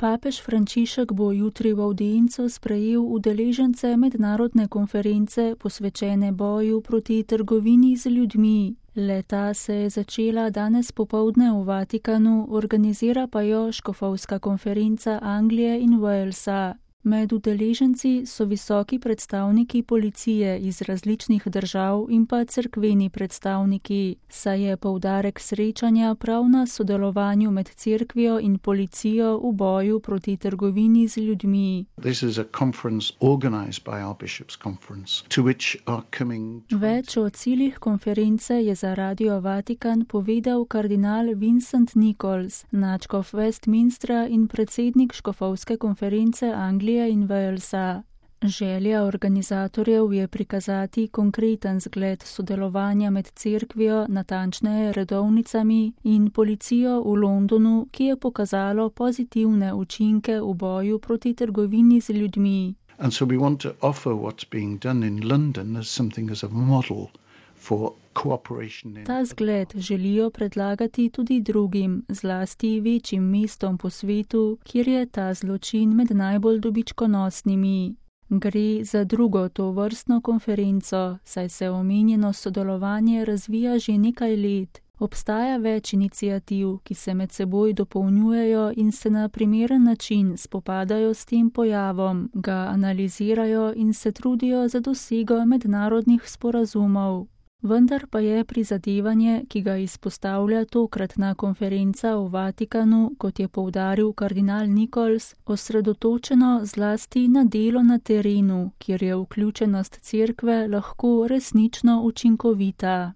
Papež Frančišek bo jutri v avdienco sprejel udeležence mednarodne konference posvečene boju proti trgovini z ljudmi. Le-ta se je začela danes popoldne v Vatikanu, organizira pa jo škofovska konferenca Anglije in Walesa. Med udeleženci so visoki predstavniki policije iz različnih držav in pa cerkveni predstavniki, saj je poudarek srečanja prav na sodelovanju med cerkvijo in policijo v boju proti trgovini z ljudmi. Več o ciljih konference je za Radio Vatikan povedal kardinal Vincent Nichols, nadškof Westminstra in predsednik škofovske konference Anglije in Walesa. Želja organizatorjev je prikazati konkreten zgled sodelovanja med cerkvijo, natančneje redovnicami, in policijo v Londonu, ki je pokazalo pozitivne učinke v boju proti trgovini z ljudmi. And so we want to offer what's being done in London as something as a model for cooperation. Ta zgled želijo predlagati tudi drugim, zlasti večjim mestom po svetu, kjer je ta zločin med najbolj dobičkonosnimi. Gre za drugo tovrstno konferenco, saj se omenjeno sodelovanje razvija že nekaj let. Obstaja več iniciativ, ki se med seboj dopolnjujejo in se na primeren način spopadajo s tem pojavom, ga analizirajo in se trudijo za dosego mednarodnih sporazumov. Vendar pa je prizadevanje, ki ga izpostavlja tokratna konferenca v Vatikanu, kot je poudaril kardinal Nichols, osredotočeno zlasti na delo na terenu, kjer je vključenost cerkve lahko resnično učinkovita.